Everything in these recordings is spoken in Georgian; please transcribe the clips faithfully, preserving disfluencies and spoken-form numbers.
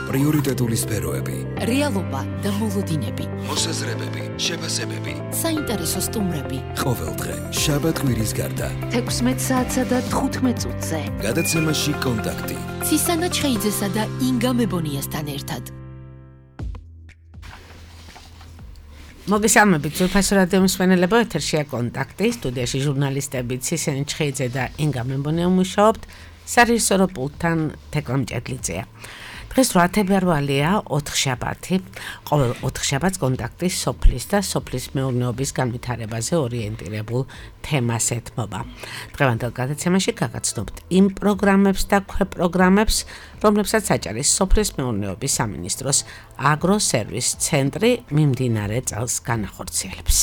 პრიორიტეტული სფეროები, რეალობა და მოლოდინები, მოსაზრებები, შეფასებები, საინტერესო სტუმრები. ყოველდღე, შაბათ-კვირის გარდა, თექვსმეტ საათსა და თხუთმეტ წუთზე. გადაცემაში კონტაქტი. ცისანა ჩხეიძესა და ინგა მებონიასთან ერთად. მოგესალმებით, ძვირფასო რადიო მსმენელებო, ეთერშია კონტაქტი, სტუდიაში ჟურნალისტები ცისანა ჩხეიძე და ინგა მებონია მუშაობთ, სარეჟისორო პულტთან თეკლა მჭედლიძეა. დღეს რვა თებერვალია, ოთხშაბათი, ყოველ ოთხშაბათს კონტაქტი სოფლის და სოფლის მეურნეობის განვითარებაზე ორიენტირებულ თემას ეთმობა. დღევანდელ გადაცემაში გაგაცნობთ იმ პროგრამებს და ქვეპროგრამებს, რომლებსაც აჭარის სოფლის მეურნეობის სამინისტროს აგროსერვის ცენტრი მიმდინარე წელს განახორციელებს.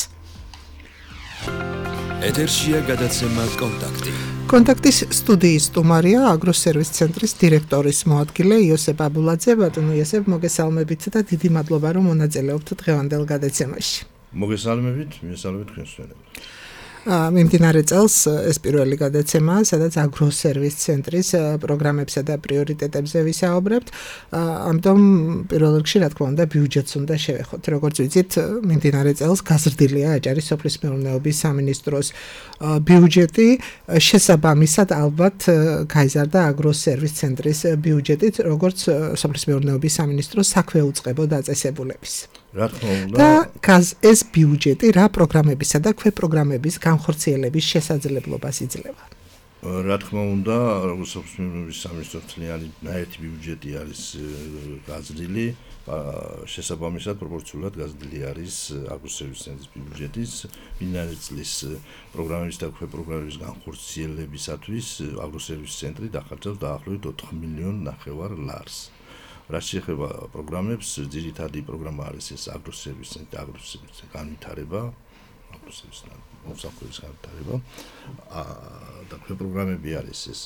ეთერშია გადაცემა კონტაქტი. კონტაქტის სტუდიის სტუმარია აგროსერვის ცენტრის დირექტორის მოადგილე იოსებ აბულაძე. ბატონო იოსებ, მოგესალმებით და დიდი მადლობა, რომ მონაწილეობთ დღევანდელ გადაცემაში. მოგესალმებით, მისალმებით თქვენს მშვენებელს. მიმდინარე წელს ეს პირველი გადაცემაა, სადაც აგროსერვის ცენტრის პროგრამებსა და პრიორიტეტებზე ვისაუბრებთ. ამიტომ პირველ რიგში, რა თქმა უნდა, ბიუჯეტს უნდა შევეხოთ. როგორც ვიცით, მიმდინარე წელს გაზრდილია აჭარის სოფლის მეურნეობის სამინისტროს ბიუჯეტი, შესაბამისად ალბათ გაიზარდა აგროსერვის ცენტრის ბიუჯეტით, როგორც სოფლის მეურნეობის სამინისტროს საქმე უწყებო დაწესებულების. რა თქმა უნდა, და ეს ბიუჯეტი რა პროგრამებისა და ქვეპროგრამების განხორციელების შესაძლებლობას იძლევა. რა თქმა უნდა, სოფლის მეურნეობის სამინისტროს წლიანი ნაერთი ბიუჯეტი არის გაზრდილი, შესაბამისად პროპორციულად გაზრდილი არის აგროსერვის ცენტრის ბიუჯეტის მიმდინარე წლის პროგრამების და ქვეპროგრამების განხორციელებისათვის აგროსერვის ცენტრი დახარჯავს დაახლოებით ოთხ მილიონ ნახევარ ლარს. რაც შეეხება პროგრამებს, ძირითადი პროგრამა არის ეს აგროსერვის ცენტრი, აგროსერვის განვითარება, აგროსერვის მომსახურების განვითარება და ქვეპროგრამები არის ეს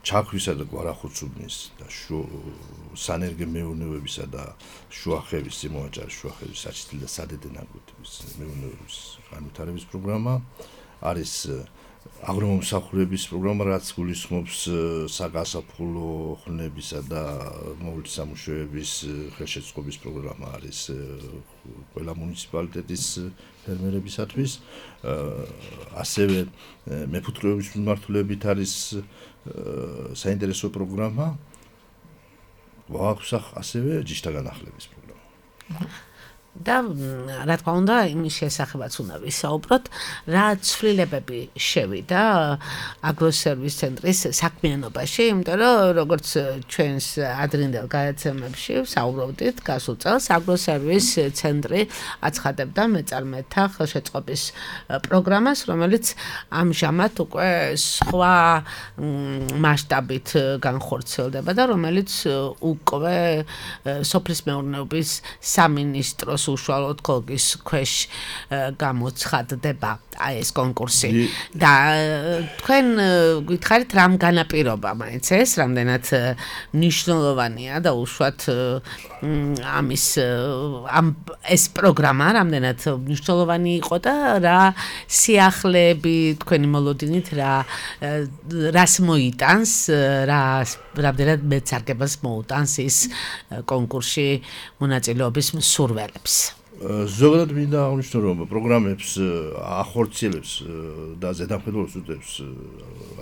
ჩაქვისა და გვარახუცუბნის და სანერგე მეურნეობისა და შუახევის სიმოაჭარის შუახევის საჩითილი და სადედე ნაკვეთების მეურნეობის განვითარების პროგრამა არის აგრომომსახურების პროგრამა, რაც გულისხმობს საგასაფხულო ხვნებისა და მოვლით სამუშაოების ხელშეწყობის პროგრამა არის ყველა მუნიციპალიტეტის ფერმერებისათვის. ასევე მეფუტკრეობის მიმართულებით არის საინტერესო პროგრამა, გვაქვს ასევე ჯიშთა განახლების პროგრამა. და რა თქმა უნდა, იმის შესახებაც უნდა ვისაუბროთ, რა ცვლილებები შევიდა აგროსერვის ცენტრის საქმიანობაში, იმიტომ რომ როგორც ჩვენს ადრინდელ გადაცემებში ვსაუბრობდით, გასულ წელს აგროსერვის ცენტრი აცხადებდა მეწარმეთა ხელშეწყობის პროგრამას, რომელიც ამჟამად უკვე სხვა მასშტაბით განხორციელდება და რომელიც უკვე სოფლის მეურნეობის სამინისტროს უშუალოდ კოლგის ქვეშ გამოცხადდება ეს კონკურსი. და თქვენ გითხარით რამ განაპირობა მაინც ეს, რამდენად მნიშვნელოვანია და უშუალოდ ამის ამ ეს პროგრამა რამდენად მნიშვნელოვანი იყო და რა სიახლეები თქვენი მოლოდინით რა რას მოიტანს, რა რამდენად მეცარგებას მოუტანს ის კონკურსში მონაწილეობის მსურველებს. ზოგადად მინდა აღნიშნო, რომ პროგრამებს ახორციელებს და ზედამხედველობას უდევს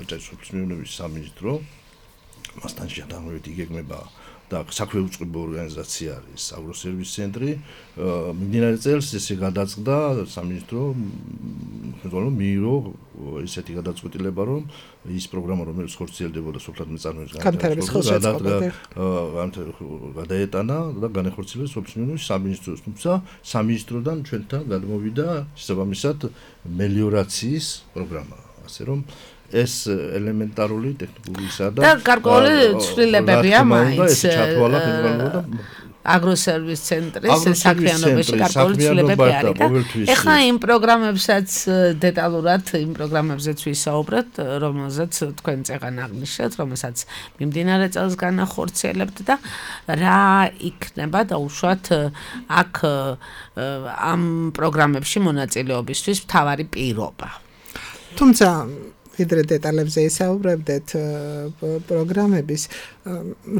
აჭარის სოფლის მეურნეობის სამინისტრო. მასთან შედარებით იგეგმება და საქმე უწყებო ორგანიზაცია არის აგროსერვის ცენტრი. მიმდინარე წელს ესე გადაწყდა სამინისტრო მხედველობა მიიღო ესეთი გადაწყვეტილება, რომ ის პროგრამა, რომელიც ხორციელდებოდა სოფლად მეწარმეების განვითარების ხელშეწყობა გადაეტანა და განახორციელეს სოფლის მეურნეობის სამინისტროს, თუმცა სამინისტროდან ჩვენთან გადმოვიდა შესაბამისად მელიორაციის პროგრამა, ასე რომ ეს ელემენტარული ტექნიკურისა და გარკვეული ცვლილებებია მაინც ჩათვალა ხელმძღვანელობა აგროსერვის ცენტრის საქმიანობაში გარკვეული ცვლილებები არის და ეხლა იმ პროგრამებსაც დეტალურად იმ პროგრამებზეც ვისაუბრეთ, რომელზეც თქვენ წეგან აღნიშნეთ, რომელსაც მიმდინარე წელს განახორციელებთ და რა იქნება დაუშვათ აქ ამ პროგრამებში მონაწილეობისთვის მთავარი პირობა. თუმცა ვიდრე დეტალებზე ისაუბრებდეთ პროგრამების,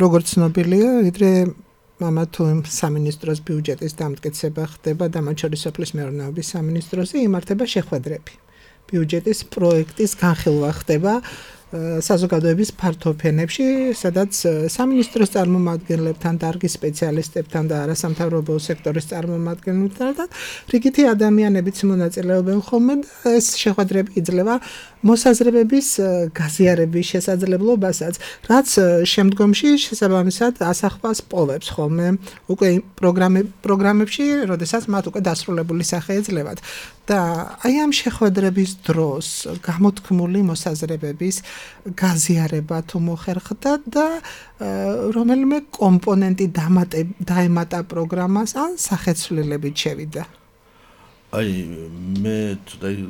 როგორც ცნობილია, ვიდრე ამა თუ იმ სამინისტროს ბიუჯეტის დამტკიცება ხდება და მათ შორის სოფლის მეურნეობის სამინისტროზე იმართება შეხვედრები. ბიუჯეტის პროექტის განხილვა ხდება საზოგადოების ფართოფენებში, სადაც სამინისტროს წარმომადგენლებთან, დარგის სპეციალისტებთან და არასამთავრობო სექტორის წარმომადგენლებთან და რიგითი ადამიანებიც მონაწილეობენ ხოლმე და ეს შეხვედრები იძლევა მოსაზრებების გაზიარების შესაძლებლობასაც, რაც შემდგომში შესაბამისად ასახვას პოვებს ხოლმე უკვე პროგრამებში, როდესაც მათ უკვე დასრულებული სახე ეძლევათ. და აი ამ შეხვედრების დროს გამოთქმული მოსაზრებების გაზიარება თუ მოხერხდა და რომელიმე კომპონენტი დაემატა პროგრამას ან სახეცვლილებით შევიდა. აი მე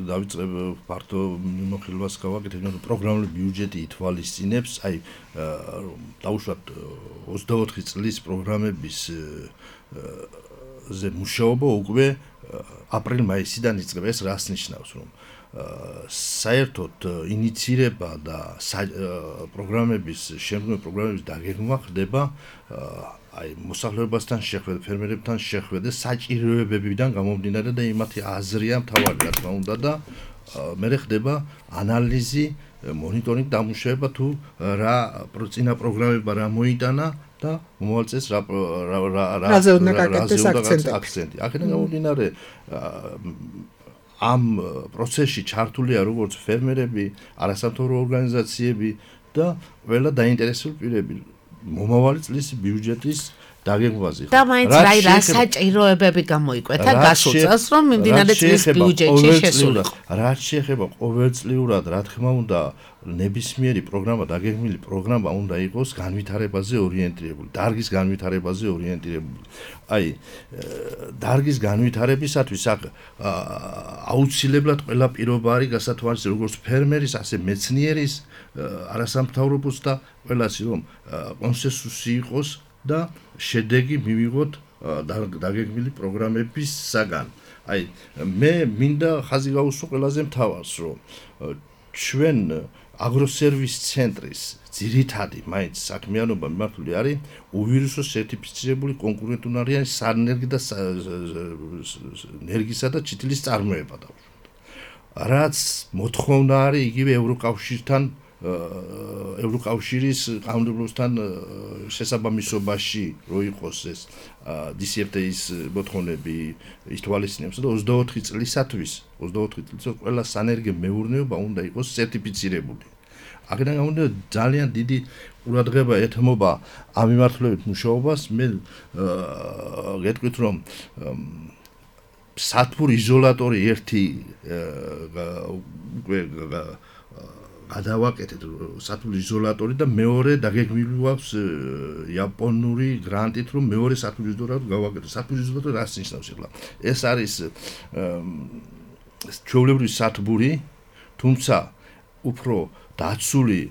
დავიწყებ ფართო მიმოხილვას გავაკეთებ, რომ პროგრამული ბიუჯეტი ითვალისწინებს, აი დავუშვათ ოცდაოთხი წლის პროგრამების ზე მუშაობა უკვე აპრილ-მაისიდან იწყება. ეს რას ნიშნავს, რომ საერთოდ ინიცირება და პროგრამების შემდგომი პროგრამების დაგეგმვა ხდება აი მოსახლეობასთან შეხვედრა, ფერმერებთან შეხვედრა, საჭიროებებიდან გამომდინარე და იმათი აზრია მთავარი, რა თქმა უნდა და მერე ხდება ანალიზი, მონიტორინგი, დამუშავება თუ რა წინა პროგრამება რა მოიტანა და მომავალ წელს რა რა რაზე უნდა გაკეთდეს აქცენტი. აქედან გამომდინარე ამ პროცესში ჩართულია როგორც ფერმერები, არასამთავრობო ორგანიზაციები და ყველა დაინტერესებული პირები მომავალი წლის ბიუჯეტის დაგეგმვაზე. და მაინც რა რა საჭიროებები გამოიკვეთა გასულ წელს, რომ მიმდინარე წლის ბიუჯეტში შესულიყო. რაც შეეხება ყოველწლიურად, რა თქმა უნდა, ნებისმიერი პროგრამა, დაგეგმილი პროგრამა უნდა იყოს განვითარებაზე ორიენტირებული, დარგის განვითარებაზე ორიენტირებული. აი, დარგის განვითარებისათვის აქ აუცილებლად ყველა პირობა არის გასათვალისწინებელი, როგორც ფერმერის, ასე მეცნიერის, არასამთავრობოს და ყველას, რომ კონსენსუსი იყოს და შედეგი მივიღოთ დაგეგმილი პროგრამებისაგან. აი, მე მინდა ხაზი გავუსვა ყველაზე მთავარს, რომ ჩვენ აგროსერვის ცენტრის ძირითადი მაინც საქმიანობა მიმართული არის უვირუსო სერტიფიცირებული კონკურენტუნარიანი სანერგი და ენერგისა და ჩითილის წარმოება დავუშვათ. რაც მოთხოვნა არის იგივე ევროკავშირთან ევროკავშირის კანონმდებლობასთან შესაბამისობაში რო იყოს ეს დი სი ეფ ტი-ის მოთხოვნები ითვალისწინებს და ოცდაოთხი წლისათვის ოცდაოთხი წლისათვის ყველა სანერგე მეურნეობა უნდა იყოს სერტიფიცირებული. აქედან გამომდინარე ძალიან დიდი ყურადღება ეთმობა ამ მიმართულებით მუშაობას. მე გეტყვით რომ სათბურ იზოლატორი ერთი უკვე გადავაკეთეთ სათბური იზოლატორი და მეორე დაგეგმილი გვაქვს იაპონური გრანტით რომ მეორე სათბური იზოლატორი გავაკეთოთ. სათბური იზოლატორი რას ნიშნავს ახლა? ეს არის ჩვეულებრივი სათბური, თუმცა უფრო დაცული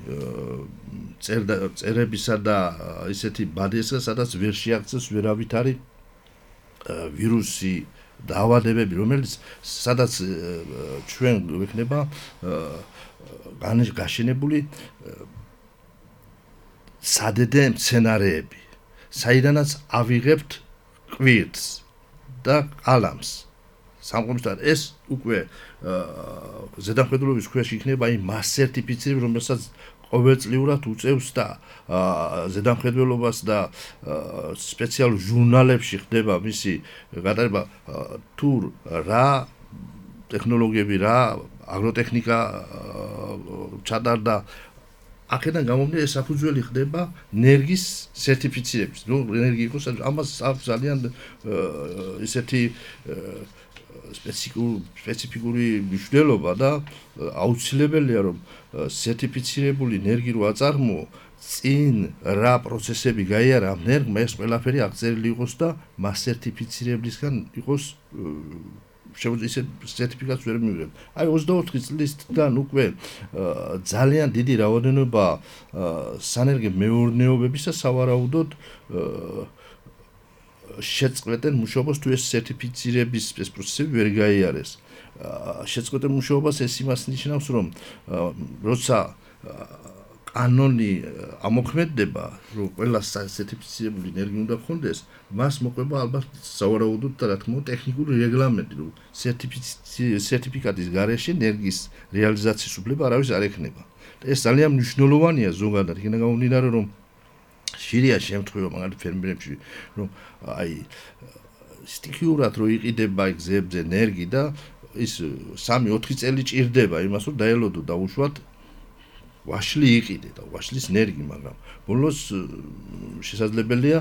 წერებისა და ისეთი ბადესა, სადაც ვერ შეაღწევს ვერავითარი ვირუსი დაავადებები, რომელიც სადაც ჩვენ ვექნება გაშენებული სადედე მცენარეები, საიდანაც ავიღებთ კვირტს და ყალამს. სამყურისთან ეს უკვე ზედამხედველობის ქვეშ იქნება იმ მას სერტიფიცირება, რომელსაც ყოველწლიურად უწევს და ზედამხედველობას და სპეციალურ ჟურნალებში ხდება მისი გადაღება თუ რა ტექნოლოგიები, რა აგროტექნიკა ჩატარდა. აქედან გამომდინარე საფუძველი ხდება ენერგიის სერტიფიცირების. ნუ ენერგია იყოს, ამას აქვს ძალიან ისეთი სპეციფიკური მნიშვნელობა და აუცილებელია რომ სერტიფიცირებული ენერგია რო აწარმოო, წინ რა პროცესები გაიარა ამ ენერგმა, ეს ყველაფერი აღწერილი იყოს და მას სერტიფიცირებლისგან იყოს შეუძლია ისე სერტიფიკატს ვერ მივიღებთ. აი ოცდაოთხი წლისგან უკვე ძალიან დიდი რაოდენობა სანერგე მეურნეობებისა სავარაუდოდ შეწყვეტენ მუშაობას თუ ეს სერტიფიცირების ეს პროცესები ვერ გაიარეს. შეწყვეტილ მუშაობას ეს იმას ნიშნავს, რომ როცა კანონი ამოქმედდება, რომ ყველა სერტიფიცირებული ენერგია უნდა გქონდეს, მას მოყვება ალბათ სავარაუდოდ და რა თქმა უნდა ტექნიკური რეგლამენტი, რომ სერტიფიკატის გარეშე ენერგიის რეალიზაციის უფლება არავის არ ექნება. ეს ძალიან მნიშვნელოვანია ზოგადად, იქიდან გამომდინარე, რომ შირია შემთხვევა მაგალითად ფერმერებში, რომ აი სტიქიურად რო იყიდება გზებზე ენერგი და ის სამი ოთხი წელი ჭირდება იმას, რომ დაელოდო დაუშვათ ვაშლი იყიდე და ვაშლის ენერგი, მაგრამ ბოლოს შესაძლებელია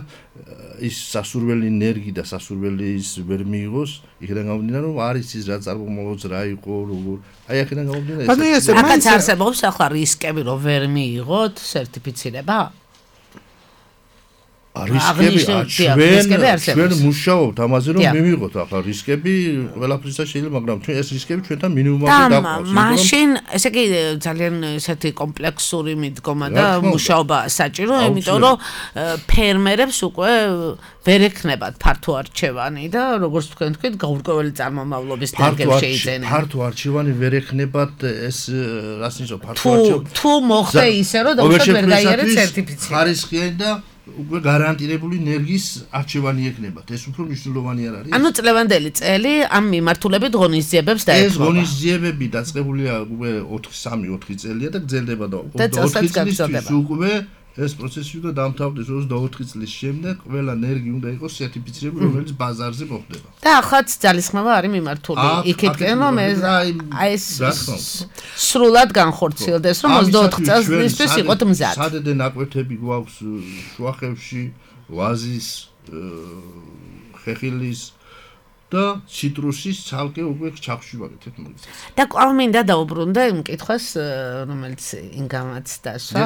ის სასურველი ენერგი და სასურველი ის ვერ მიიღოს, იქიდან გამომდინარე, რომ არის ის რა წარმომოწ რა იყო, როგორ აი აქედან გამომდინარე ეს აქაც არსებობს ახლა რისკები, რომ ვერ მიიღოთ სერტიფიცირება? რისკები ჩვენ ჩვენ მუშაობთ ამაზე რომ მივიღოთ ახლა რისკები ყველაფრისა შეიძლება მაგრამ ჩვენ ეს რისკები ჩვენთან მინიმუმამდე დაგვაქვს მაშინ ესე იგი ძალიან ესეთი კომპლექსური მიდგომა და მუშაობა საჭირო იმიტომ რომ ფერმერებს უკვე ვერ ექნებათ ფართო არჩევანი და როგორც თქვენ თქვით გაურკვეველი წარმომავლობის დარგებს შეიძენენ ფართო არჩევანი ვერ ექნებათ ეს რას ნიშნავს ფართო არჩევანი თუ მოხდა ისე რომ დაუშვათ ვერ გაიარეთ სერტიფიცირება ხარისხიანი და უკვე გარანტირებული ენერგიის არჩევანი ექნებათ. ეს უფრო მნიშვნელოვანი არ არის. ანუ წლევანდელი წელი ამ მიმართულებით ღონისძიებებს დაეთმობა. ეს ღონისძიებები დაწყებულია უკვე ოთხი სამი ოთხი წელია და გრძელდება და ოთხი წლის უკვე ეს პროცესი უნდა დამთავრდეს ოცდაოთხი წლის შემდეგ ყველა ენერგია უნდა იყოს სერტიფიცირებული, რომელიც ბაზარზე მოხდება. და ახაც ძალისხმევა არის მიმართული. იქითკენ რომ ეს აი ეს სრულად განხორციელდეს, რომ ოცდაოთხ წელსთვის იყოთ მზად. სადედე ნაკვეთები გვაქვს შუახევში, ვაზის, ხეხილის და ციტრუსის ცალკე უკვე ჩახში ვაკეთებ მაგას. და კვლავ მინდა დაუბრუნდა იმ კითხვას, რომელიც ინგამაც დასვა,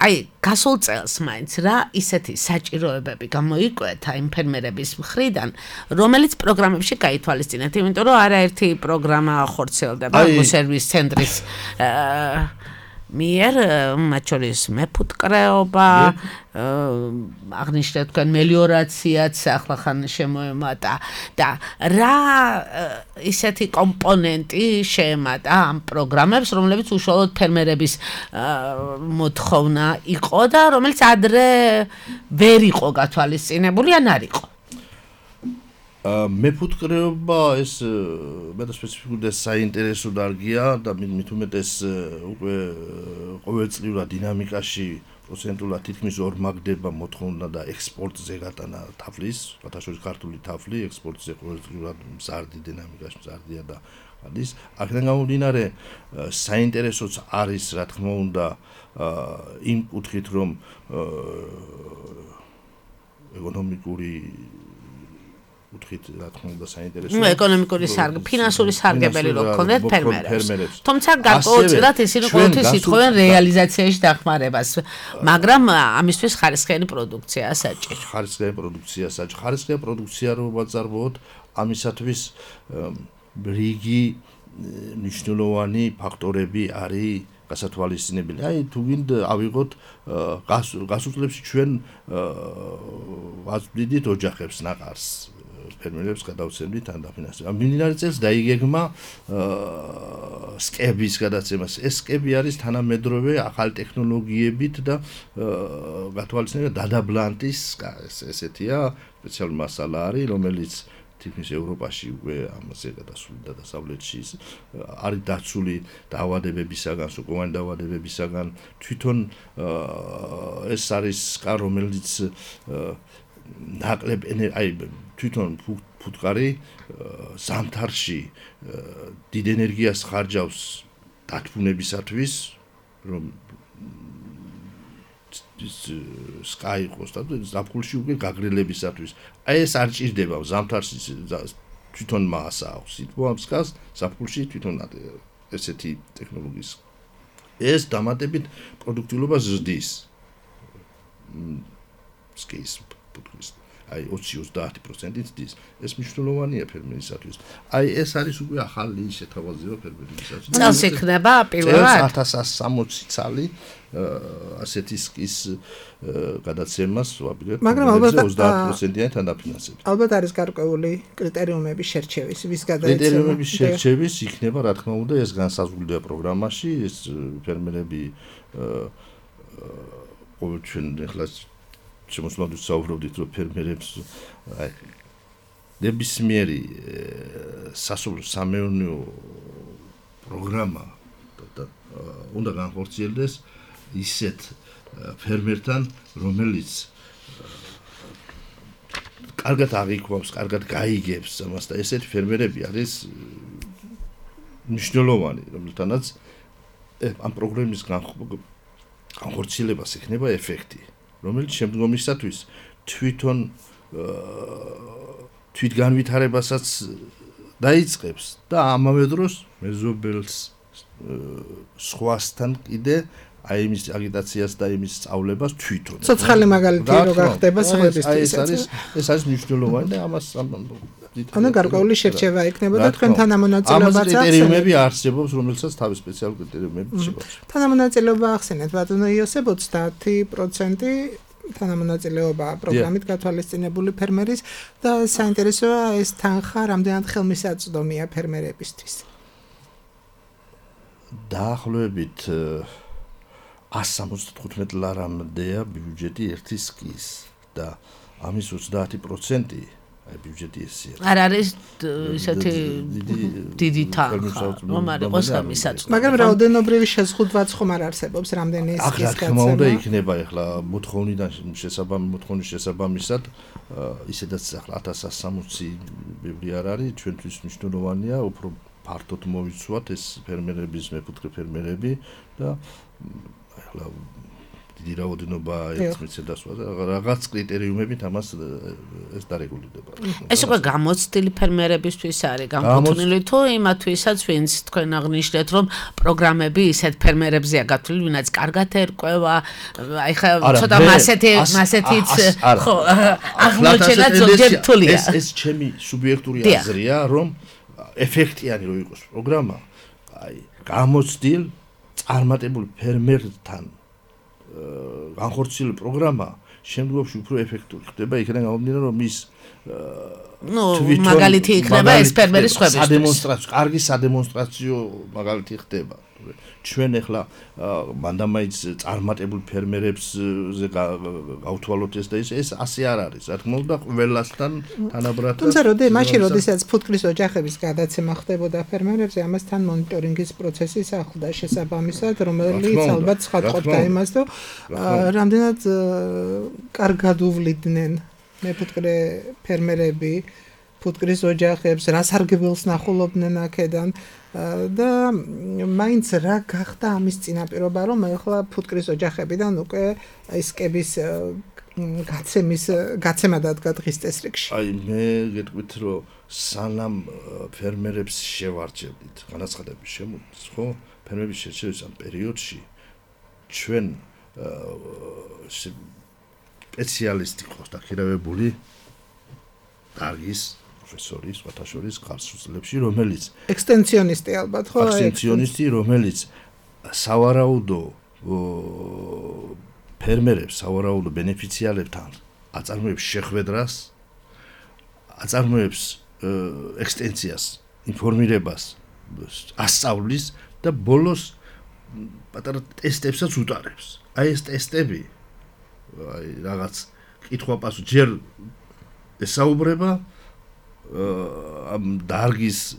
აი გასულ წელს მაინც რა ისეთი საჭიროებები გამოიკვეთა იმ ფერმერების მხრიდან, რომელიც პროგრამებში გაითვალისწინეთ, იმიტომ რომ არაერთი პროგრამა ხორციელდება სერვის ცენტრის მიერ, მათ შორის მეფუტკრეობა, აღნიშნეთ თქვენ მელიორაციაც ახლახან შემოემატა და რა ისეთი კომპონენტი შეემატა ამ პროგრამებს, რომლებიც უშუალოდ ფერმერების მოთხოვნა იყო და რომელიც ადრე ვერ იყო გათვალისწინებული ან არ იყო. მეფუტკრეობა ეს მეტად სპეციფიკური და საინტერესო დარგია და მით უმეტეს უკვე ყოველწლიურად დინამიკაში პროცენტულად თითქმის ორმაგდება მოთხოვნა და ექსპორტზე გატანა თაფლის, შეთანხმებული ქართული თაფლი ექსპორტზე ყოველწლიურად მზარდი დინამიკაში მზარდია და არის. აქედან გამომდინარე საინტერესოც არის რა თქმა უნდა იმ კუთხით რომ ეკონომიკური უთხით რა თქმა უნდა საინტერესო. ნუ ეკონომიკური სარგ, ფინანსური სარგებელი რო გქონდეთ ფერმერებს. თუმცა გარკვეულწილად ისინი ყოველთვის ითხოვენ რეალიზაციაში დახმარებას, მაგრამ ამისთვის ხარისხიანი პროდუქცია საჭირო. ხარისხიანი პროდუქცია საჭირო. ხარისხიანი პროდუქცია რო ვაწარმოოთ, ამისათვის რიგი მნიშვნელოვანი ფაქტორები არის გასათვალისწინებელი. აი თუ გინდა ავიღოთ გასულ წლებში ჩვენ ვაწვდით ოჯახებს ნაყარს ფერმერებს გადავცემდით ან დაფინანსებთ. მიმდინარე წელს დაიგეგმა სკების გადაცემას. ეს სკები არის თანამედროვე ახალი ტექნოლოგიებით და გათვალისწინებელია დადაბლანტის ესეთია სპეციალური მასალა არის, რომელიც თითქმის ევროპაში უკვე ამაზე გადასული და დასავლეთში არის დაცული დაავადებებისაგან, სოკოვანი დაავადებებისაგან. თვითონ ეს არის სკა, რომელიც ნაკლებ აი თვითონ ფუტკარი ზამთარში დიდ ენერგიას ხარჯავს დათბუნებისათვის, რომ ის სკა იყოს და ზაფხულში უკვე გაგრილებისათვის. აი ეს არ ჭირდება ზამთარში თვითონ მასა აქვს. ითქვა ამ სკას ზაფხულში თვითონ ესეთი ტექნოლოგიის. ეს დამატებით პროდუქტიულობას ზრდის. სკის ფუტკრის. აი ოცი ოცდაათი პროცენტით დის. ეს მნიშვნელოვანია ფერმერისათვის. აი ეს არის უკვე ახალი შეთავაზება ფერმერისათვის. წელს იქნება პირველად ათას ათს სამოცი წალი ასეთი სკის გადაცემას ვაპირებთ. მაგრამ ალბათ ოცდაათი პროცენტიანი თანაფინანსებით. ალბათ არის გარკვეული კრიტერიუმების შერჩევის, ვის გადაეცემა. კრიტერიუმების შერჩევის იქნება, რა თქმა უნდა, ეს განსაზღვრულია პროგრამაში, ეს ფერმერები ყოველჩვენ ახლა შემოსვლად ვსაუბრობდით, რომ ფერმერებს აი ნებისმიერი სასოფლო-სამეურნეო პროგრამა და უნდა განხორციელდეს ისეთ ფერმერთან, რომელიც კარგად აღიქვამს, კარგად გაიგებს ამას და ესეთი ფერმერები არის მნიშვნელოვანი, რომელთანაც ამ პროგრამის განხორციელებას იქნება ეფექტი, რომელიც შემდგომისათვის თვითონ თვითგანვითარებასაც დაიწყებს და ამავე დროს მეზობელს სხვასთან კიდე აი იმის აგიტაციას და იმის სწავლებას თვითონ. ცოცხალი მაგალითი რო გახდება სხვებისთვის. აი ეს არის ეს არის მნიშვნელოვანი და ამას ანუ გარკვეული შერჩევა იქნება და თქვენ თანამონაწილეობაც ახსენეთ. ამას კრიტერიუმები არსებობს, რომელსაც თავის სპეციალური კრიტერიუმები შეგვაქვს. თანამონაწილეობა ახსენეთ, ბატონო იოსებ ოცდაათი პროცენტი თანამონაწილეობა პროგრამით გათვალისწინებული ფერმერის და საინტერესოა ეს თანხა რამდენად ხელმისაწვდომია ფერმერებისთვის. დაახლოებით ას სამოცდათხუთმეტ ლარამდეა ბიუჯეტი ერთი სკის და ამის ოცდაათი პროცენტი აი ბიუჯეტი ესია. არ არის ისეთი დიდი თანხა, რომ არ იყოს ხელმისაწვდომი. მაგრამ რაოდენობრივი შეზღუდვაც ხომ არ არსებობს რამდენი სკის გაცემა. ახლა უნდა იქნება ახლა მოთხოვნიდან შესაბამი მოთხოვნის შესაბამისად ისედაც ახლა ათას ათს სამოცი ბევრი არ არის, ჩვენთვის მნიშვნელოვანია უფრო ფართოდ მოვიცვათ ეს ფერმერების მეფუტკრე ფერმერები და ახლა დიდი რაოდენობა ეცმიცედას რაღაც კრიტერიუმებით ამას ეს დარეგულირდება. ეს უკვე გამოცდილი ფერმერებისთვის არის განკუთვნილი თუ იმათვისაც ვინც თქვენ აღნიშნეთ რომ პროგრამები ისეთ ფერმერებზეა გათვლილი ვინაც კარგად ერკვევა აი ხა ცოტა მასეთი მასეთიც ხო აღმოჩენა ზოგჯერ რთულია. ეს ეს ჩემი სუბიექტური აზრია რომ ეფექტიანი რო იყოს პროგრამა აი გამოცდილ წარმატებულ ფერმერთან განხორციელებული პროგრამა შემდგომში უფრო ეფექტური ხდება, იქიდან გამომდინარე რომ ის ნუ მაგალითი იქნება ეს ფერმერის სხვებისთვის. სადემონსტრაციო, კარგი სადემონსტრაციო მაგალითი ხდება. ჩვენ ახლა მანდამაიც წარმატებულ ფერმერებზე გავთვალოთ ეს და ის ეს ასე არ არის. რა თქმა უნდა, ყველასთან თანაბრად. თუმცა როდი მაშინ როდესაც ფუტკრის ოჯახების გადაცემა ხდებოდა ფერმერებზე, ამასთან მონიტორინგის პროცესი ახლდა შესაბამისად, რომელიც ალბათ ცხადყოფდა იმას, რომ რამდენად კარგად უვლიდნენ მეფუტკრე ფერმერები ფუტკრის ოჯახებს, რა სარგებელს ნახულობდნენ აქედან და მაინც რა გახდა ამის წინაპირობა, რომ ახლა ფუტკრის ოჯახებიდან უკვე ისკების გაცემის გაცემა დადგა დღის წესრიგში. აი მე გეტყვით რომ სანამ ფერმერებს შევარჩევდით განაცხადების შემოწმებას, ხო? ფერმერების შერჩევის ამ პერიოდში ჩვენ სპეციალისტი ყავს დაქირავებული დარგის პროფესორი, სხვათა შორის ხარსშულებში, რომელიც ექსტენსიონისტი ალბათ, ხო? ექსტენსიონისტი, რომელიც სავარაუდო ფერმერებს, სავარაუდო ბენეფიციარებთან აწარმოებს შეხვედრას, აწარმოებს ექსტენსიას, ინფორმირებას, ასწავლის და ბოლოს პატარა ტესტებსაც უტარებს. აი ეს ტესტები აი რაღაც კითხვა-პასუხი ჯერ ესაუბრება ამ დარგის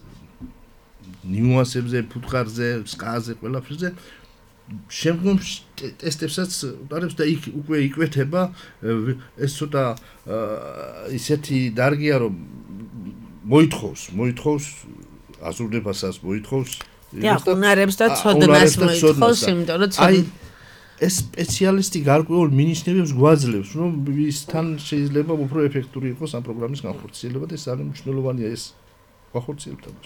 ნიუანსებზე, ფუტკარზე, სკაზე, ყველაფერზე. შემდგომში ტესტებსაც უტარებს და იქ უკვე იკვეთება ეს ცოტა ისეთი დარგია რომ მოითხოვს, მოითხოვს აზროვნებასაც, მოითხოვს და უნარებს და ცოდნას მოითხოვს, იმიტომ რომ აი ეს სპეციალისტი გარკვეულ მინიშნებებს გვაძლევს, რომ ისთან შეიძლება უფრო ეფექტური იყოს ამ პროგრამის განხორციელება და ეს არის მნიშვნელოვანია ეს ვახორციელებთ ამას.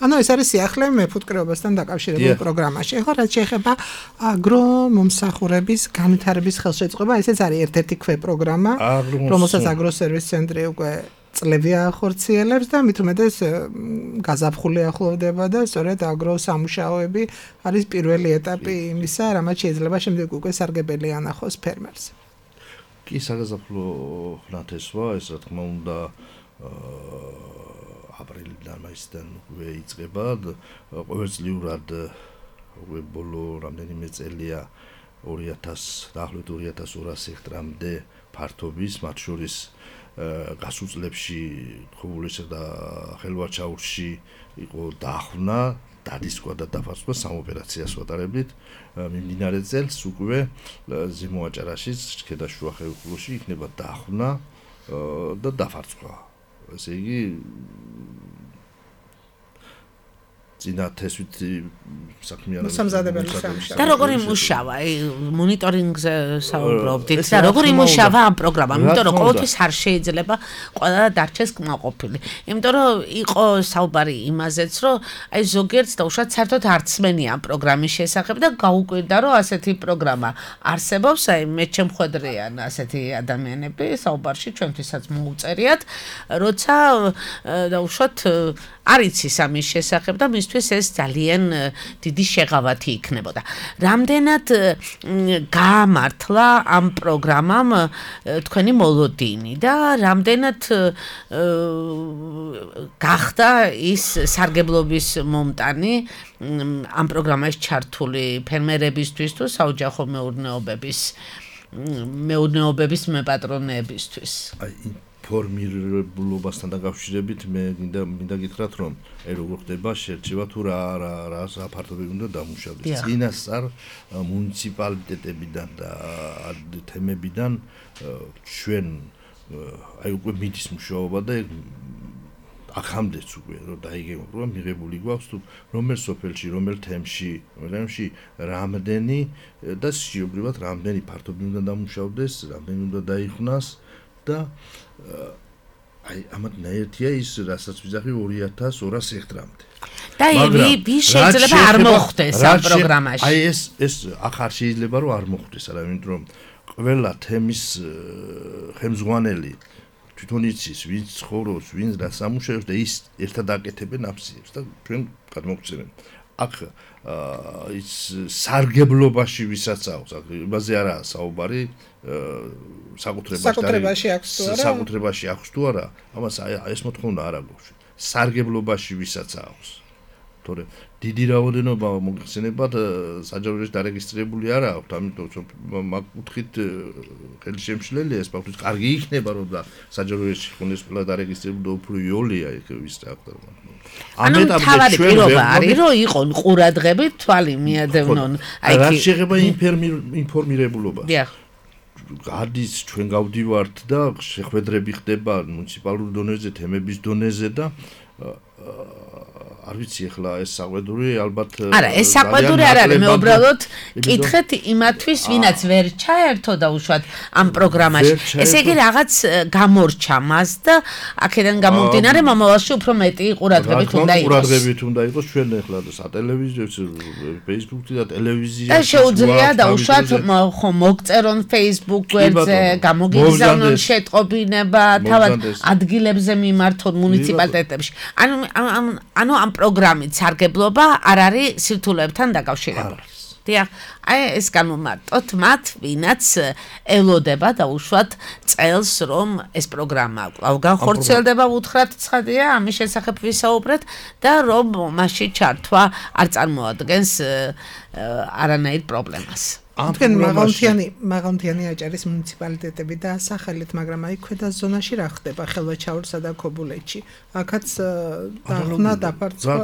ანუ ეს არის სიახლე მეფუტკრეობასთან დაკავშირებულ პროგრამაში. ეხლა რაც შეეხება აგრო მომსახურების განვითარების ხელშეწყობა, ესეც არის ერთ-ერთი ქვეპროგრამა, რომელსაც აგროსერვის ცენტრი უკვე წლები ახორციელებს და მით უმეტეს გაზაფხული ახლოვდება და სწორედ აგროსამუშაოები არის პირველი ეტაპი იმისა, რამაც შეიძლება შემდეგ უკვე სარგებელი ანახოს ფერმერს. კი, საგაზაფხულო ნათესვა, ეს რა თქმა უნდა აპრილიდან მაისიდან უკვე იწყება და ყოველწლიურად უკვე ბოლო რამდენიმე წელია ორი ათას დაახლოებით ორი ათას ორას ჰექტრამდე ფართობის, მათ შორის გასულ წლებში ხუბულისა და ხელვაჩაურში იყო დახვნა, დადისკვა და დაფარცხვა სამ ოპერაციას ვატარებდით. მიმდინარე წელს უკვე ზემოაჭარაშიც ქედაშუა ხევსურში იქნება დახვნა და დაფარცხვა. ესე იგი წინა თესვით საქმიანობა მოსამზადებელი სამუშაო. და როგორ იმუშავა? მონიტორინგზე საუბრობდით და როგორ იმუშავა ამ პროგრამა? იმიტომ რომ ყოველთვის არ შეიძლება ყველა დარჩეს კმაყოფილი. იმიტომ რომ იყო საუბარი იმაზეც, რომ აი ზოგიერთს დაუშვათ საერთოდ არ ცმენია ამ პროგრამის შესახებ და გაუკვირდა, რომ ასეთი პროგრამა არსებობს, აი მე ჩემხვედრიან ასეთი ადამიანები საუბარში ჩვენთვისაც მოუწერიათ, როცა დაუშვათ არ იცის ამის შესახებ და მისთვის ეს ძალიან დიდი შეღავათი იქნებოდა. რამდენად გაამართლა ამ პროგრამამ თქვენი მოლოდინი და რამდენად გახდა ის სარგებლობის მომტანი ამ პროგრამაში ჩართული ფერმერებისთვის თუ საოჯახო მეურნეობების მეურნეობების მეპატრონეებისთვის? აი ფორმირებულობასთან დაკავშირებით მე მინდა მინდა გითხრათ, რომ აი როგორ ხდება შერჩევა თუ რა რა რა საფართობები უნდა დამუშავდეს. წინასწარ მუნიციპალიტეტებიდან და თემებიდან ჩვენ აი უკვე მიდის მუშაობა და აქამდეც უკვე რომ დაიგებო რომ მიღებული გვაქვს თუ რომელ სოფელში, რომელ თემში, რომელში რამდენი და სიობრივად რამდენი ფართობი უნდა დამუშავდეს, რამდენი უნდა დაიხვნას და აი ამათ ნაერთია ის რასაც ვიზახი ორი ათას ორას ჰექტრამდე. და ვის შეიძლება არ მოხდეს ამ პროგრამაში? აი ეს ეს ახარ შეიძლება რომ არ მოხდეს, არა, იმიტომ რომ ყველა თემის ხელმძღვანელი თვითონ იცის, ვინც ცხოვრობს, ვინც რა სამუშაოს და ის ერთად აკეთებენ აფსიებს და ჩვენ გადმოგცემენ. აქ ის სარგებლობაში ვისაც აქვს, იმაზე არაა საუბარი, საკუთრებაში აქვს თუ არა? საკუთრებაში აქვს თუ არა? ამას ეს მოთხოვნა არ აქვს. სარგებლობაში ვისაც აქვს. თორე დიდი რაოდენობა მოგხსენებათ საჯაროებში დარეგისტრირებული არ აქვს, ამიტომ მაგ კუთხით ხელშემშლელია ეს ფაქტი. კარგი იქნება რომ და საჯაროებში ხონდეს ყველა დარეგისტრირებული და უფრო იოლია იქ ვის აქვს. ანუ თავარი პირობა არის რომ იყონ ყურადღები თვალი მიადევნონ აი რა შეეხება ინფორმირებულობას. დიახ. გადის ჩვენ გავდივართ და შეხვედრები ხდება მუნიციპალურ დონეზე, თემების დონეზე და არ ვიცი ახლა ეს საყვედური ალბათ არა ეს საყვედური არ არის მე უბრალოდ კითხეთ იმათვის ვინაც ვერ ჩაერთო და უშუალოდ ამ პროგრამაში ესე იგი რაღაც გამორჩა მას და აქედან გამომდინარე მომავალში უფრო მეტი ყურადღებით უნდა იყოს ყურადღებით უნდა იყოს ჩვენ ახლა სატელევიზიო Facebook-ი და ტელევიზია და შეუძლია და უშუალოდ ხომ მოგწერონ Facebook გვერდზე გამოგიგზავნონ შეტყობინება თავად ადგილებზე მიმართონ მუნიციპალიტეტებში ანუ ანუ ამ პროგრამით სარგებლობა არ არის სირთულეებთან დაკავშირებული. დიახ, აი ეს განმარტოთ მათ, ვინაც ელოდება და უშუალოდ წელს რომ ეს პროგრამა კვლავ განხორციელდება, უთხრათ ცხადია, ამის შესახებ ვისაუბრეთ და რომ მასში ჩართვა არ წარმოადგენს არანაირ პრობლემას. თქვენ მაღალმთიანი მაღალმთიანი აჭარის მუნიციპალიტეტები და სახელით, მაგრამ აი ქვედა ზონაში რა ხდება ხელვაჩაურსა და ქობულეთში? აქაც დახვნა დაფარცხვა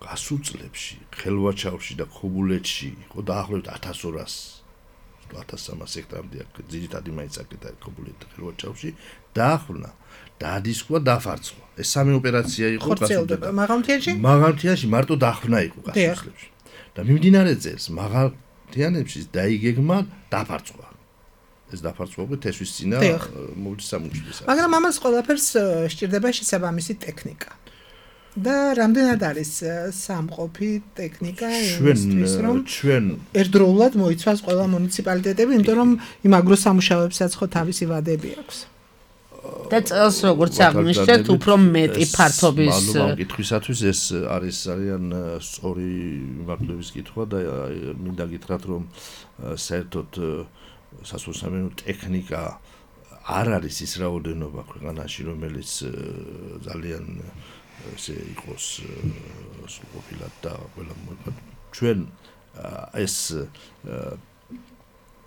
გასულ წლებში ხელვაჩაურში და ქობულეთში იყო დაახლოებით ათას ორას ათას სამას ჰექტრამდე ძირითადი მაინც აკეთა ქობულეთ და ხელვაჩაურში დახვნა დადისკვა დაფარცხვა. ეს სამი ოპერაცია იყო გასულ მაღალმთიანში? მაღალმთიანში მარტო დახვნა იყო გასულ წლებში. და მიმდინარე წელს მაღალმთიანებში დაიგეგმა დაფარცხვა. ეს დაფარწმობით ესვის წინა მოვლის სამუშაოს. მაგრამ ამას ყველაფერს სჭირდება შესაბამისი ტექნიკა. და რამდენად არის სამყოფი ტექნიკა იმისთვის რომ ჩვენ ერთდროულად მოიცვას ყველა მუნიციპალიტეტები, იმიტომ რომ იმ აგროსამუშავეებსაც ხო თავისი ვადები აქვს. და წელს როგორც აღნიშნეთ, უფრო მეტი ფართობის მადლობა კითხვისათვის, ეს არის ძალიან სწორი მიმართულების კითხვა და მინდა გითხრათ, რომ საერთოდ სასოფლო-სამეურნეო ტექნიკა არ არის ის რაოდენობა ქვეყანაში, რომელიც ძალიან ესე იყოს სრულყოფილად და ყველა მოიფად. ჩვენ ეს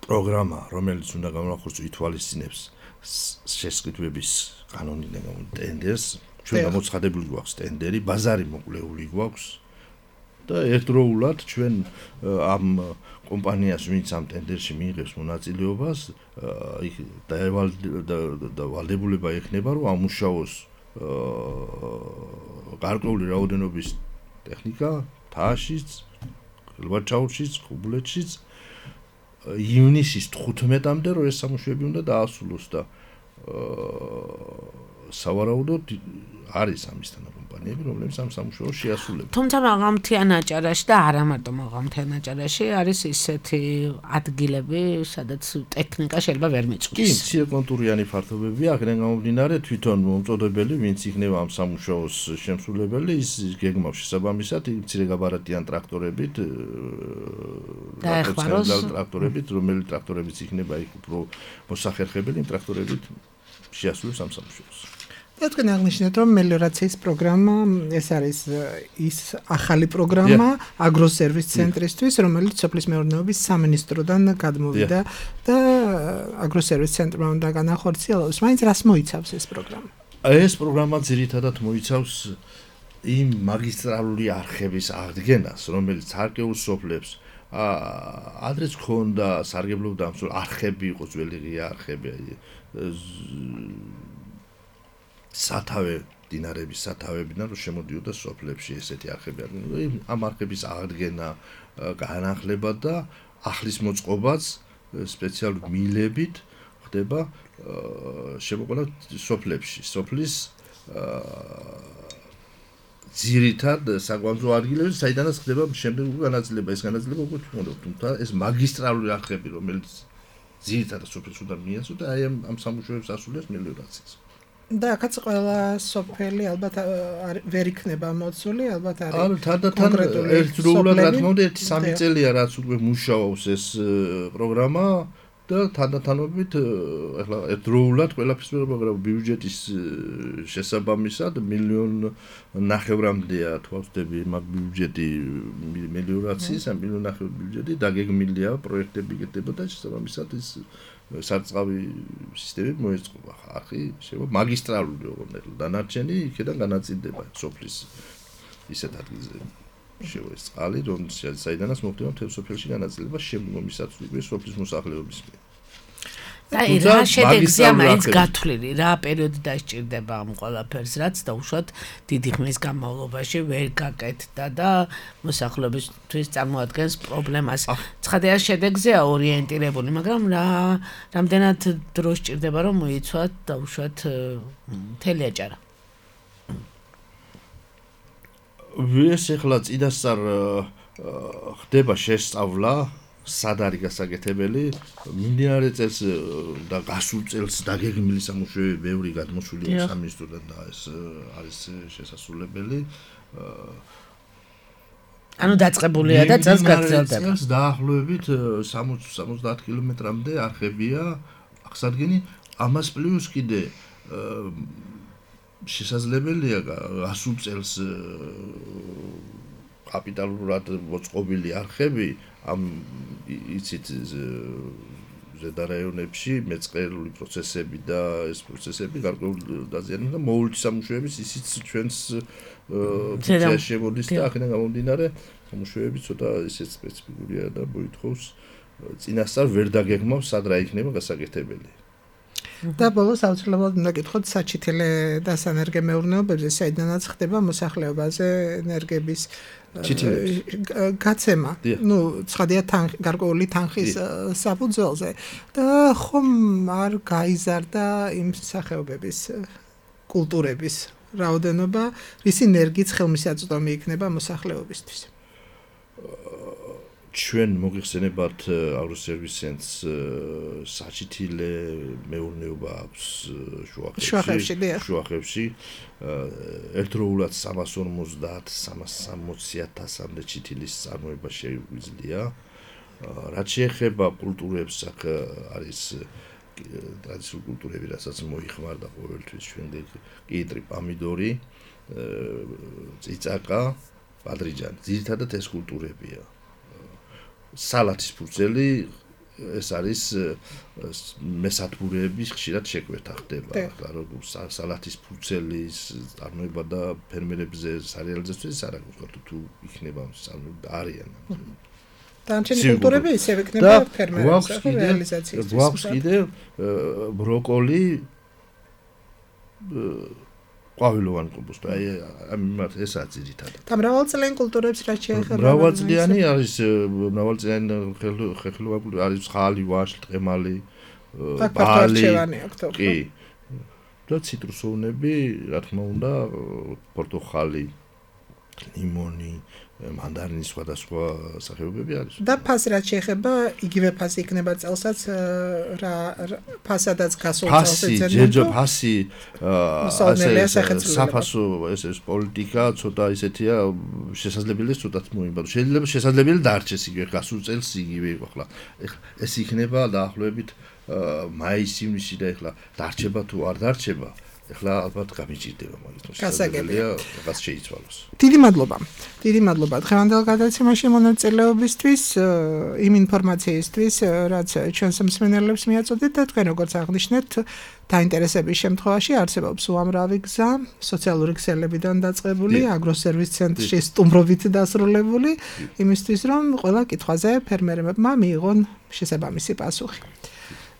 პროგრამა, რომელიც უნდა გამოვახორციელოს, ითვალისწინებს შესყიდვების კანონიდან გამომდინარე ტენდერს, ჩვენ გამოცხადებული გვაქვს ტენდერი, ბაზარი მოკლეული გვაქვს და ერთდროულად ჩვენ ამ კომპანიას, ვინც ამ ტენდერში მიიღებს მონაწილეობას, იქ და ვალდებულება ექნება, რომ ამუშაოს გარკვეული რაოდენობის ტექნიკა თააშიც, ელვაჩაურშიც, ხუბლეთშიც ივნისის თხუთმეტამდე რომ ეს სამუშაოები უნდა დაასრულოს და სავარაუდოდ არის ამისთან კომპანიები, რომლებიც ამ სამუშაოს შეასრულებენ. თუმცა მაღალმთიან აჭარაში და არა მარტო მაღალმთიან აჭარაში არის ისეთი ადგილები, სადაც ტექნიკა შეიძლება ვერ მიწვდეს. კი, მცირე კონტურიანი ფართობებია, აქედან გამომდინარე თვითონ მომწოდებელი, ვინც იქნება ამ სამუშაოს შემსრულებელი, ის გეგმავს შესაბამისად მცირე გაბარატიან ტრაქტორებით, დაეხმაროს ტრაქტორებით, რომელი ტრაქტორებიც იქნება იქ უფრო მოსახერხებელი, იმ ტრაქტორებით შეასრულებს ამ სამუშაოს. და თქვენ აღნიშნეთ, რომ მელიორაციის პროგრამა ეს არის ის ახალი პროგრამა აგროსერვის ცენტრისთვის, რომელიც სოფლის მეურნეობის სამინისტროდან გადმოვიდა და აგროსერვის ცენტრმა უნდა განახორციელოს. მაინც რას მოიცავს ეს პროგრამა? ეს პროგრამა ძირითადად მოიცავს იმ მაგისტრალური არხების აღდგენას, რომელიც სარგებლობს სოფლებს. ადრეც ქონდა სარგებლობდა ამ არხები, იყო ძველი ღია არხები, სათავე დინარების სათავეებიდან რომ შემოდიოდა სოფლებში ესეთი არხები. ამ არხების აღდგენა, განახლება და ახლის მოწყობაც სპეციალური მილებით ხდება შემოყვანა სოფლებში. სოფლის ძირითად საკვანძო ადგილებში, საიდანაც ხდება შემდეგი განაწილება, ეს განაწილება უკვე თუნდაც, თუმცა ეს მაგისტრალური არხები, რომელიც ძირითადად სოფელს უნდა მიეწოდოს და აი ამ სამუშაოებს ასრულებს მელიორაციას. და აქაც ყველა სოფელი ალბათ ვერ იქნება მოცული, ალბათ არის. ანუ თანდათან ერთდროულად რა თქმა უნდა ერთი სამი წელია რაც უკვე მუშაობს ეს პროგრამა და თანდათანობით ახლა ერთდროულად ყველაფერს პროგრამა ბიუჯეტის შესაბამისად მილიონ ნახევრამდეა თვალწდები მაგ ბიუჯეტი მელიორაციის ამ მილიონ ნახევრის ბიუჯეტი დაგეგმილია პროექტები გეტება და შესაბამისად ის სარწყავი სისტემები მოეწყობა. ხახი შეიძლება მაგისტრალური ოღონდ დანარჩენი იქიდან განაწილდება სოფლის ისეთ ადგილზე. შევა ეს წყალი, რომ საიდანაც მოხდება მთელ სოფელში განაწილება შემდგომისაც უკვე სოფლის მოსახლეობის მიერ. და რა შედეგზეა მაინც გათვლილი, რა პერიოდი დასჭირდება ამ ყველაფერს, რაც დაუშვათ დიდი ხნის განმავლობაში ვერ გაკეთდა და მოსახლეობისთვის წარმოადგენს პრობლემას. ცხადია შედეგზეა ორიენტირებული, მაგრამ რა რამდენად დრო სჭირდება რომ მოიცვათ დაუშვათ მთელი აჭარა. ეს ახლა წინასწარ ხდება შესწავლა, სად არის გასაკეთებელი, მიმდინარე წელს და გასულ წელს დაგეგმილი სამუშაოები ბევრი გადმოსულია სამინისტროდან და ეს არის შესასრულებელი. ანუ დაწყებულია და წელს გაგრძელდება. წელს დაახლოებით სამოცი სამოცდაათ კილომეტრამდე არხებია აღსადგენი, ამას პლუს კიდე შესაძლებელია გასულ წელს კაპიტალურად მოწყობილი არხები ამ იცით ზედარაიონებში მეწყერული პროცესები და ეს პროცესები გარკვეულ დაზიანებას და მოვლით სამუშაოების ისიც ჩვენს პროცესში შემოდის და აქედან გამომდინარე სამუშაოები ცოტა ისეთ სპეციფიკურია და მოითხოვს წინასწარ ვერ დაგეგმავს სად რა იქნება გასაკეთებელი. და ბოლოს აუცილებლად უნდა გითხოთ საჩითილე და სანერგე მეურნეობებზე, საიდანაც ხდება მოსახლეობაზე ენერგების გაცემა. ნუ ცხადია თანხი, გარკვეული თანხის საფუძველზე და ხომ არ გაიზარდა იმ სახეობების კულტურების რაოდენობა, რის ენერგიით ხელმისაწვდომი იქნება მოსახლეობისთვის. ჩვენ მოგიხსენებათ აგროსერვის ცენტრს საჩითილე მეურნეობა აქვს შუახევში შუახევში ერთდროულად სამას ორმოცდაათ სამას სამოცი ათასამდე ჩითილის წარმოება შეგვიძლია. რაც შეეხება კულტურებს, აქ არის ტრადიციული კულტურები, რასაც მოიხმარდა ყოველთვის ჩვენ კიტრი, პამიდორი, წიწაკა, ბადრიჯანი. ძირითადად ეს კულტურებია. სალათის ფურცელი ეს არის მესათბურეების ხშირად შეკვეთა ხდება. როგორ სალათის ფურცელის წარმოება და ფერმერებზე სარეალიზაციას არ აქვს თუ იქნება არიან. დანარჩენი კულტურები ისევ იქნება ფერმერების რეალიზაციის. გვაქვს კიდევ ბროკოლი ყვავილოვანი კომპოსტი, აი ამათ ესაც ძირითადად. და მრავალწლიანი კულტურებს რაც შეეხება. მრავალწლიანი არის, მრავალწლიანი ხეხილოვანი კულტურა არის ხალი, ვაშლი, ტყემალი, ბალი. კი. და ციტრუსოვნები, რა თქმა უნდა, პორტოხალი, ლიმონი, მანდარინის სხვადასხვა სახეობები არის. და ფასი რაც შეეხება, იგივე ფასი იქნება წელსაც რა ფასადაც გასულ წელს ეძებნება. ფასი, ჯერჯერ ფასი ასე საფასო ეს პოლიტიკა ცოტა ისეთია შესაძლებელია ცოტათ მოიმბადოს. შეიძლება შესაძლებელი დარჩეს იგივე გასულ წელს იგივე იყო ახლა. ეს იქნება დაახლოებით მაის-ივნისი და ახლა დარჩება თუ არ დარჩება. ეხლა ალბათ გამიჭირდება მაგით გასაგებია რაღაც შეიცვალოს. დიდი მადლობა. დიდი მადლობა დღევანდელ გადაცემაში მონაწილეობისთვის, იმ ინფორმაციისთვის, რაც ჩვენს მსმენელებს მიაწოდეთ და თქვენ როგორც აღნიშნეთ, დაინტერესების შემთხვევაში არსებობს უამრავი გზა, სოციალური ქსელებიდან დაწყებული, აგროსერვის ცენტრში სტუმრობით დასრულებული, იმისთვის რომ ყველა კითხვაზე ფერმერებმა მიიღონ შესაბამისი პასუხი.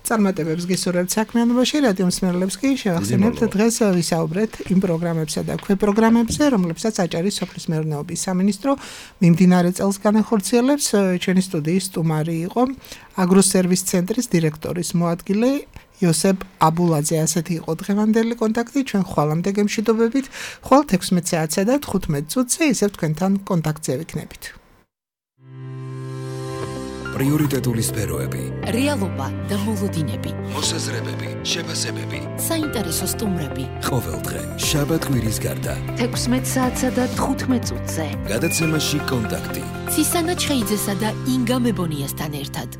წარმატებებს გისურვებთ საქმიანობაში, რადიო მსმენელებს კი შევახსენებთ დღეს ვისაუბრეთ იმ პროგრამებსა და ქვეპროგრამებზე, რომლებსაც აჭარის სოფლის მეურნეობის სამინისტრო მიმდინარე წელს განახორციელებს. ჩვენი სტუდიის სტუმარი იყო აგროსერვის ცენტრის დირექტორის მოადგილე იოსებ აბულაძე. ასეთი იყო დღევანდელი კონტაქტი. ჩვენ ხვალამდე გემშვიდობებით, ხვალ თექვსმეტ საათსა და თხუთმეტ წუთზე ისევ თქვენთან კონტაქტზე ვიქნებით. პრიორიტეტული სფეროები, რეალობა და მოლოდინები, მოსაზრებები, შეფასებები, საინტერესო სტუმრები. ყოველდღე შაბათ კვირის გარდა თექვსმეტ საათსა და თხუთმეტ წუთზე. გადაცემაში კონტაქტი. ცისანა ჩხეიძესა და ინგა მებონიასთან ერთად.